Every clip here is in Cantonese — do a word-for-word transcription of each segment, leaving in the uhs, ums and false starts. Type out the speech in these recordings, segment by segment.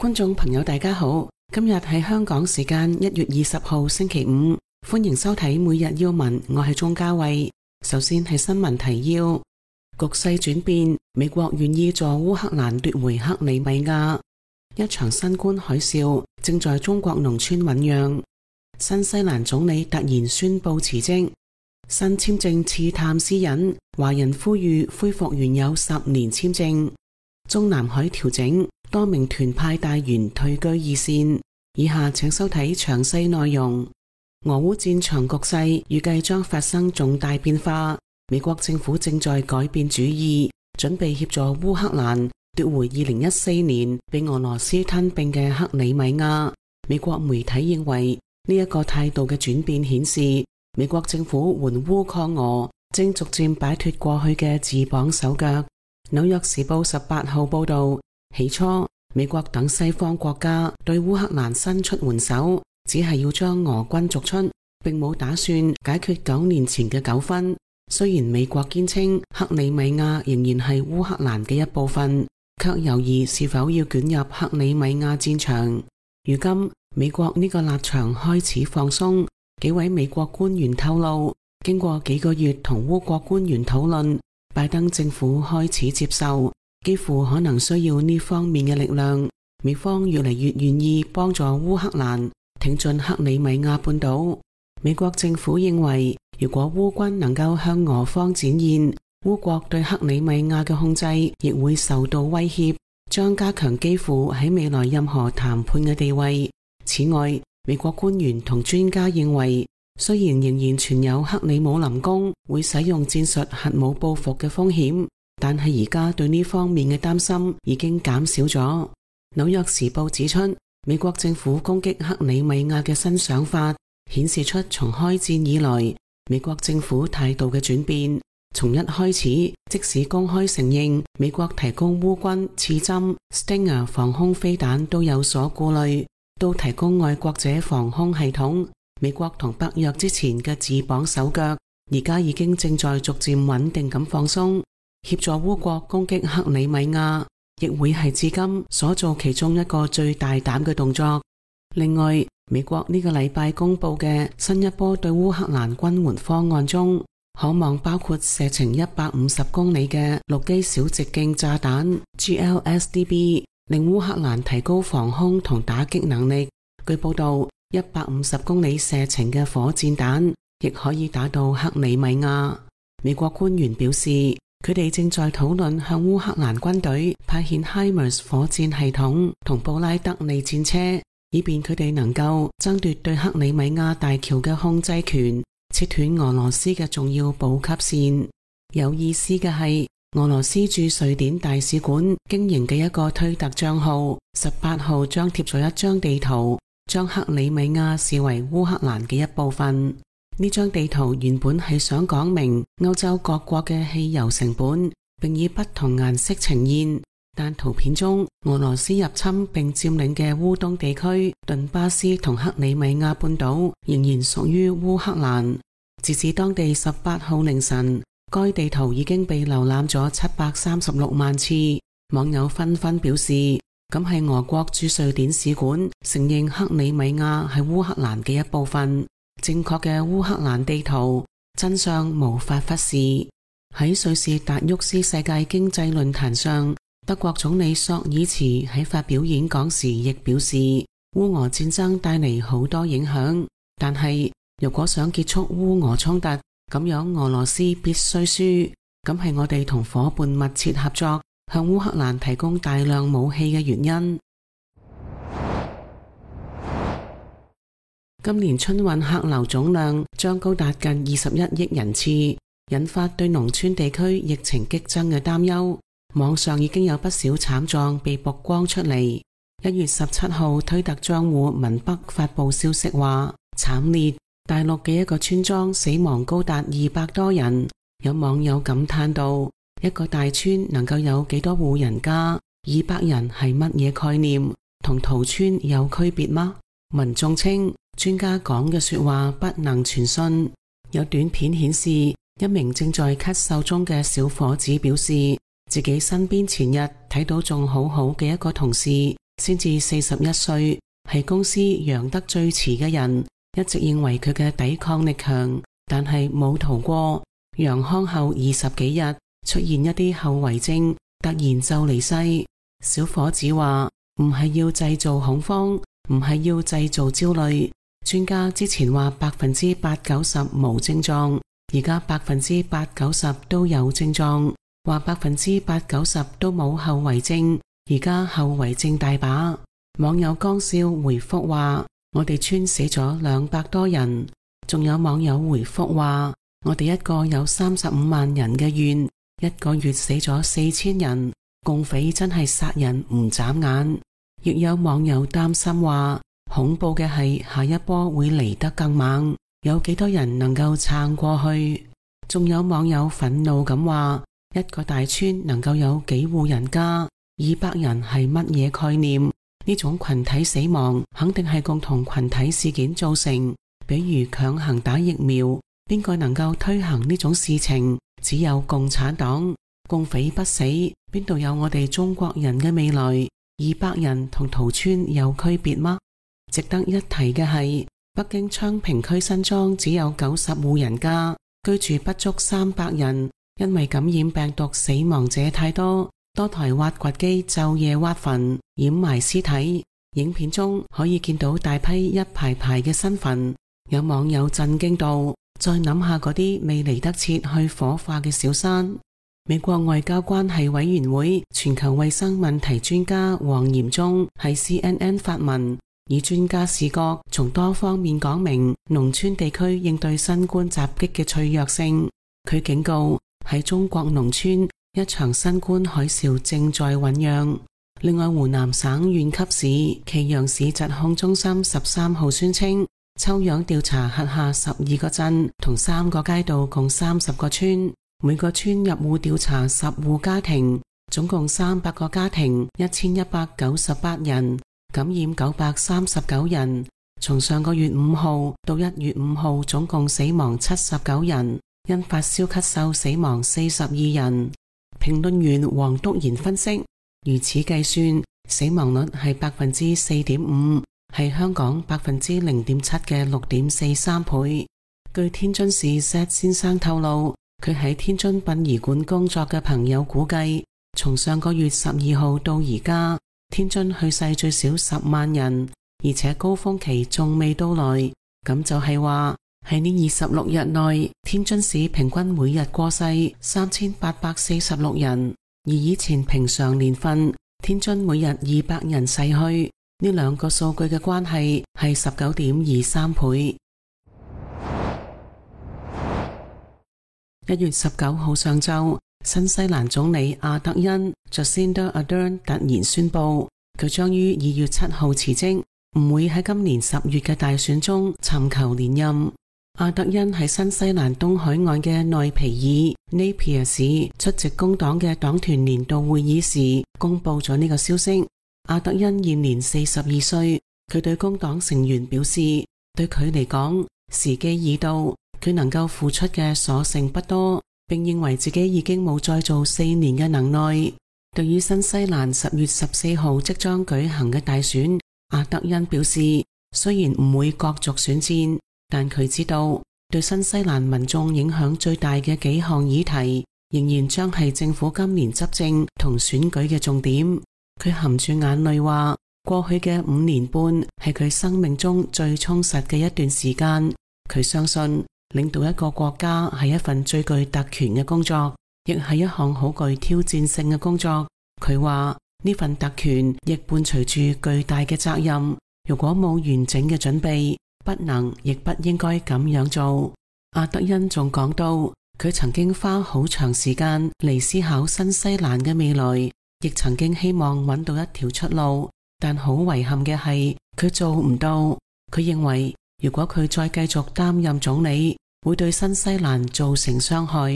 觀眾朋友大家好，今日係香港時間一月二十號星期五，歡迎收睇每日要聞，我係鍾嘉慧。首先係新聞提要：局勢轉變，美國願意助烏克蘭奪回克里米亞。一場新冠海嘯正在中國農村醞釀。新西蘭總理突然宣布辭職。新簽證刺探私隱，華人呼籲恢復原有十年簽證。中南海調整，多名團派大員退居二線。以下請收睇詳細內容。俄烏戰場局勢預計將發生重大變化，美國政府正在改變主意，準備協助烏克蘭奪回二零一四年被俄羅斯吞併嘅克里米亞。美國媒體認為呢一個態度嘅轉變顯示，美國政府援烏抗俄正逐漸擺脫過去嘅自綁手腳。紐約時報十八號報道，起初美國等西方國家對烏克蘭伸出援手，只係要將俄軍逐出，並冇打算解決九年前嘅糾紛。雖然美國堅稱克里米亞仍然係烏克蘭嘅一部分，卻猶豫是否要捲入克里米亞戰場。如今美國呢個立場開始放鬆，幾位美國官員透露，經過幾個月同烏國官員討論，拜登政府開始接受，幾乎可能需要呢方面嘅力量。美方越嚟越願意幫助烏克蘭挺進克里米亞半島。美國政府認為，如果烏軍能夠向俄方展現烏國對克里米亞嘅控制亦會受到威脅，將加強基輔喺未來任何談判嘅地位。此外，美國官員同專家認為，雖然仍然存有克里姆林宮會使用戰術核武報復嘅風險，但係而家對呢方面嘅擔心已經減少咗。紐約時報指出，美國政府攻擊克里米亞嘅新想法，顯示出從開戰以來美國政府態度嘅轉變。從一開始，即使公開承認美國提供烏軍刺針、Stinger 防空飛彈都有所顧慮，到提供愛國者防空系統，美國同北約之前嘅自綁手腳，而家已經正在逐漸穩定咁放鬆。協助烏國攻擊克里米亞，亦會係至今所做其中一個最大膽嘅動作。另外，美國呢個禮拜公布嘅新一波對烏克蘭軍援方案中，可望包括射程一百五十公里嘅陸基小直徑炸彈 G L S D B， 令烏克蘭提高防空同打擊能力。據報道，一百五十公里射程嘅火箭彈亦可以打到克里米亞。美國官員表示，佢哋正在討論向烏克蘭軍隊派遣 HIMARS 火箭系統同布拉德利戰車，以便佢哋能夠爭奪對克里米亞大橋嘅控制權，切斷俄羅斯嘅重要補給線。有意思嘅係，俄羅斯駐瑞典大使館經營嘅一個推特賬號，十八號張貼咗一張地圖，將克里米亞視為烏克蘭嘅一部分。呢張地圖原本係想講明歐洲各國嘅汽油成本，並以不同顏色呈現，但圖片中俄羅斯入侵並佔領嘅烏東地區、頓巴斯同克里米亞半島仍然屬於烏克蘭。截至當地十八號凌晨，該地圖已經被瀏覽咗七百三十六萬次。網友紛紛表示，咁係俄國駐瑞典使館承認克里米亞係烏克蘭嘅一部分。正確嘅烏克蘭地圖，真相無法忽視。喺瑞士達沃斯世界經濟論壇上，德國總理朔爾茨喺發表演講時亦表示，烏俄戰爭帶嚟好多影響，但係如果想結束烏俄衝突，咁樣俄羅斯必須輸。咁係我哋同伙伴密切合作，向烏克蘭提供大量武器嘅原因。今年春運客流總量將高達近二十一億人次，引發對農村地區疫情激增嘅擔憂。網上已經有不少慘狀被曝光出嚟。一月十七號，推特賬戶文北發佈消息話，慘烈！大陸嘅一個村莊死亡高達二百多人。有網友感嘆道：一個大村能夠有幾多戶人家？二百人係乜嘢概念？同屠村有區別嗎？民眾稱，專家講嘅說話不能全信。有短片顯示，一名正在咳嗽中嘅小伙子表示，自己身邊前日睇到仲好好嘅一個同事，先至四十一歲，係公司養得最遲嘅人，一直認為佢嘅抵抗力強，但係冇逃過。楊康後二十幾日出現一啲後遺症，突然就離世。小伙子話唔係要製造恐慌，唔係要製造焦慮。專家之前話百分之八九十無症狀，而家百分之八九十都有症狀，話百分之八九十都冇後遺症，而家後遺症大把。網友江少回覆話我哋村死咗兩百多人，仲有網友回覆話我哋一個有三十五萬人嘅縣，一個月死咗四千人，共匪真係殺人唔眨眼。亦有網友擔心話恐怖嘅係下一波會嚟得更猛，有幾多人能夠撐過去？仲有網友憤怒咁話一個大村能夠有幾戶人家，二百人係乜嘢概念？呢種群體死亡肯定係共同群體事件造成，比如強行打疫苗，邊個能夠推行呢種事情？只有共產黨。共匪不死，邊度有我哋中國人嘅未來？二百人同屠村有區別嗎？值得一提嘅係，北京昌平區新莊只有九十戶人家，居住不足三百人，因為感染病毒死亡者太多，多台挖掘機晝夜挖墳掩埋屍體。影片中可以見到大批一排排嘅新墳，有網友震驚到，再諗下嗰啲未嚟得切去火化嘅小山。美國外交關係委員會全球衛生問題專家黃嚴忠喺 C N N 發文，以專家視角從多方面講明農村地區應對新冠襲擊嘅脆弱性。佢警告喺中國農村一場新冠海嘯正在醞釀。另外，湖南省縣級市祁陽市疾控中心十三號宣稱，抽樣調查轄下十二個鎮同三個街道共三十個村，每個村入戶調查十戶家庭，總共三百個家庭，一千一百九十八人，感染九百三十九人。從上個月五號到一月五號，總共死亡七十九人，因發燒咳嗽死亡四十二人。評論員黃督賢分析，如此計算，死亡率係百分之四點五，係香港百分之零點七嘅六點四三倍。據天津市 Z 先生透露，佢喺天津殯儀館工作嘅朋友估計，從上個月十二號到而家，天津去世最少十萬人，而且高峰期仲未到來。咁就係話喺呢二十六日內，天津市平均每日過世三千八百四十六人，而以前平常年份，天津每日二百人逝去。呢兩個數據嘅關係係十九點二三倍。一月十九號上晝，新西蘭總理阿德恩 Jacinda Ardern 突然宣布，佢將於二月七號辭職，唔會喺今年十月嘅大選中尋求連任。阿德恩喺新西蘭東海岸嘅內皮爾 Napier 市出席工黨嘅黨團年度會議時，公布咗呢個消息。阿德恩現年四十二歲，佢對工黨成員表示，對佢嚟講，時機已到。佢能夠付出嘅所剩不多，並認為自己已經冇再做四年嘅能耐。對於新西蘭十月十四號即將舉行嘅大選，阿德恩表示，雖然唔會角逐選戰，但佢知道對新西蘭民眾影響最大嘅幾項議題，仍然將係政府今年執政同選舉嘅重點。佢含住眼淚話，過去嘅五年半係佢生命中最充實嘅一段時間。佢相信領導一個國家係一份最具特權嘅工作，亦係一項好具挑戰性嘅工作。佢話呢份特權亦伴隨住巨大嘅責任，如果冇完整嘅準備，不能亦不應該咁樣做。阿德恩仲講到，佢曾經花好長時間嚟思考新西蘭嘅未來，亦曾經希望揾到一條出路，但好遺憾嘅係佢做唔到。佢認為如果佢再繼續擔任總理，會對新西蘭造成傷害。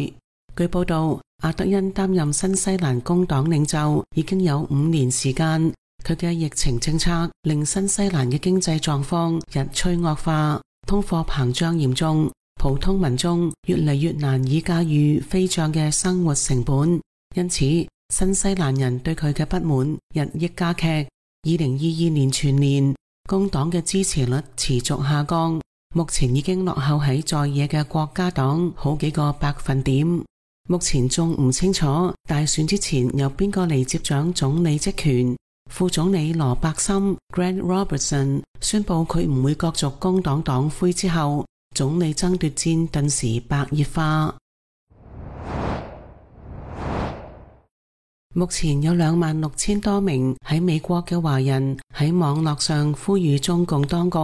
據報道，阿德恩擔任新西蘭工黨領袖已經有五年時間，佢嘅疫情政策令新西蘭嘅經濟狀況日趨惡化，通貨膨脹嚴重，普通民眾越嚟越難以駕馭飛漲嘅生活成本，因此新西蘭人對佢嘅不滿日益加劇。二零二二年全年工黨嘅支持率持續下降，目前已經落後喺在，在野嘅國家黨好幾個百分點。目前仲唔清楚大選之前由邊個嚟接掌總理職權。副總理羅伯森 Grant Robertson 宣布佢唔會角逐工黨黨魁之後，總理爭奪戰頓時白熱化。目前有兩萬六千多名喺美國嘅華人喺網絡上呼籲中共當局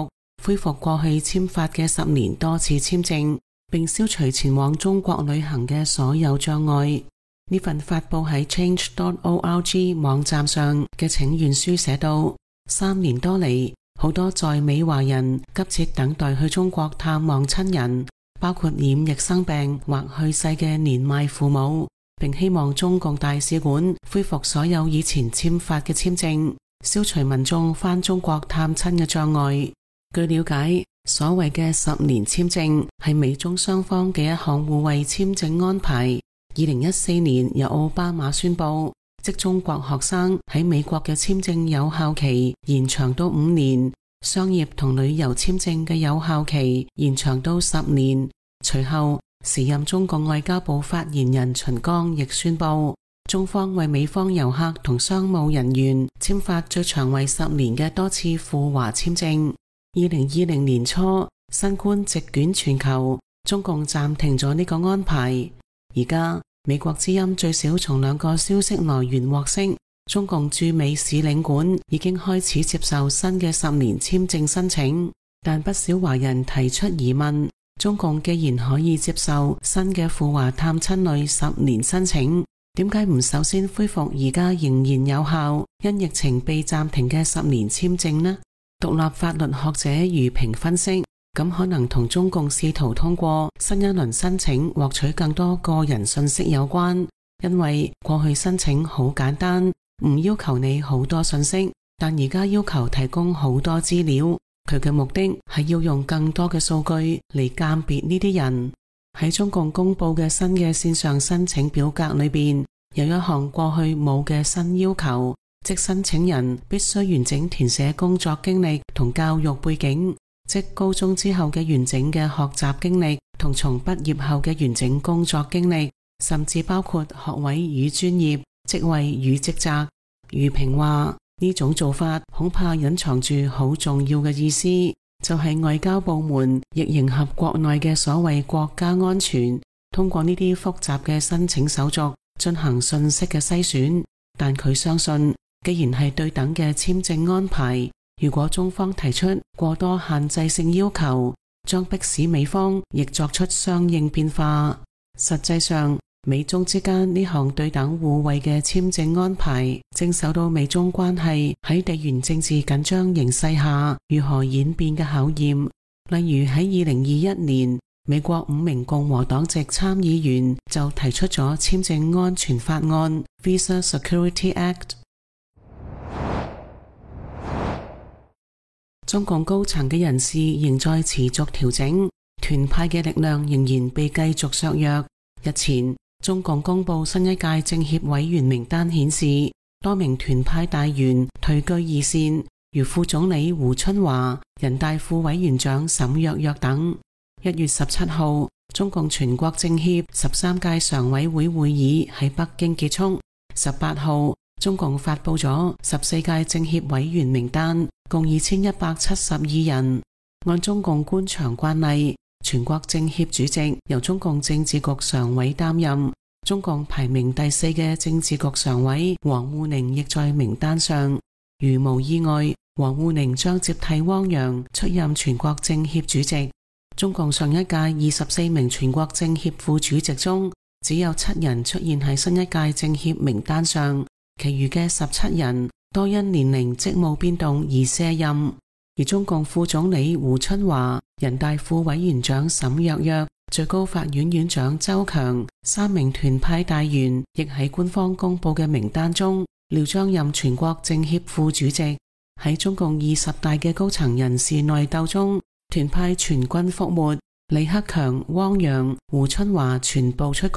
恢復過去簽發嘅十年多次簽證，並消除前往中國旅行嘅所有障礙。呢份發布喺 change dot org 網站上嘅請願書寫道，三年多嚟，好多在美華人急切等待去中國探望親人，包括染疫生病或去世嘅年邁父母，並希望中共大使館恢復所有以前簽發嘅簽證，消除民眾返中國探親嘅障礙。據了解，所謂嘅十年簽證係美中雙方嘅一項互惠簽證安排。二零一四年由奧巴馬宣布，即中國學生喺美國嘅簽證有效期延長到五年，商業同旅遊簽證嘅有效期延長到十年。隨後，時任中共外交部發言人秦剛亦宣布，中方為美方遊客同商務人員簽發最長為十年嘅多次赴華簽證。二零二零年初，新冠席捲全球，中共暫停咗呢個安排。而家美國之音最少從兩個消息來源獲悉，中共駐美使領館已經開始接受新嘅十年簽證申請，但不少華人提出疑問，中共既然可以接受新嘅赴華探親類十年申請，點解唔首先恢復而家仍然有效因疫情被暫停嘅十年簽證呢？獨立法律學者余平分析，咁可能同中共試圖通過新一輪申請獲取更多個人信息有關，因為過去申請好簡單，唔要求你好多信息，但而家要求提供好多資料，佢嘅目的係要用更多嘅數據嚟鑑別呢啲人。喺中共公布嘅新嘅線上申請表格裏邊，有一項過去冇嘅新要求，即申請人必須完整填寫工作經歷同教育背景，即高中之後嘅完整嘅學習經歷同從畢業後嘅完整工作經歷，甚至包括學位與專業、職位與職責。余平話，呢種做法恐怕隱藏住好重要嘅意思，就係外交部門亦迎合國內嘅所謂國家安全，通過呢啲複雜嘅申請手續進行信息嘅篩選。但佢相信，既然係對等嘅簽證安排，如果中方提出過多限制性要求，將迫使美方亦作出相應變化。實際上，美中之間呢項對等互惠嘅簽證安排，正受到美中關係喺地緣政治緊張形勢下如何演變嘅考驗。例如喺二零二一年，美國五名共和黨籍參議員就提出咗簽證安全法案 Visa Security Act。中共高層嘅人事仍在持續調整，團派嘅力量仍然被繼續削弱。日前，中共公布新一屆政協委員名單，顯示多名團派大員退居二線，如副總理胡春華、人大副委員長沈躍躍等。一月十七號，中共全國政協十三屆常委會會議喺北京結束。十八號，中共發布咗十四屆政協委員名單，共二千一百七十二人。按中共官場慣例，全國政協主席由中共政治局常委擔任。中共排名第四嘅政治局常委王滬寧亦在名單上。如無意外，王滬寧將接替汪洋出任全國政協主席。中共上一屆二十四名全國政協副主席中，只有七人出現喺新一屆政協名單上，其餘嘅十七人多因年齡職務變動而卸任。而中共副總理胡春華、人大副委員長沈躍躍、最高法院院長周強三名團派大員亦喺官方公布嘅名單中，料將任全國政協副主席。喺中共二十大嘅高層人事內鬥中，團派全軍覆沒，李克強、汪洋、胡春華全部出局。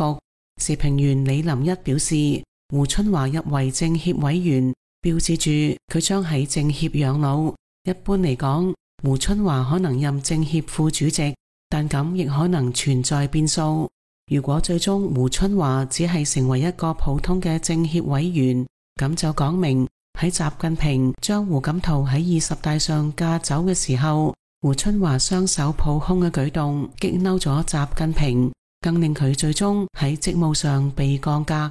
時評員李林一表示，胡春華入圍政協委員，標誌住佢將喺政協養老。一般嚟講，胡春華可能任政協副主席，但咁亦可能存在變數。如果最終胡春華只係成為一個普通嘅政協委員，咁就講明喺習近平將胡錦濤喺二十大上架走嘅時候，胡春華雙手抱胸嘅舉動激嬲咗習近平，更令佢最終喺職務上被降格。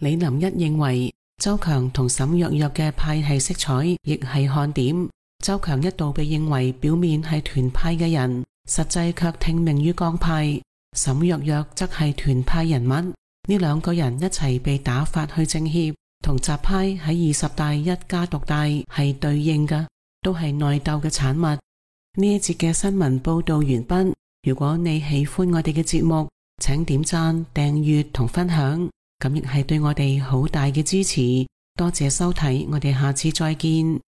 李林一認為周強同沈躍躍嘅派系色彩亦係看點。周強一度被認為表面係團派嘅人，實際卻聽命於江派。沈躍躍則係團派人物，呢兩個人一齊被打發去政協，同習派喺二十大一家獨大係對應嘅，都係內鬥嘅產物。呢一節嘅新聞報道完畢。如果你喜歡我哋嘅節目，請點讚、訂閱同分享，咁亦係對我哋好大嘅支持。多謝收睇，我哋下次再見。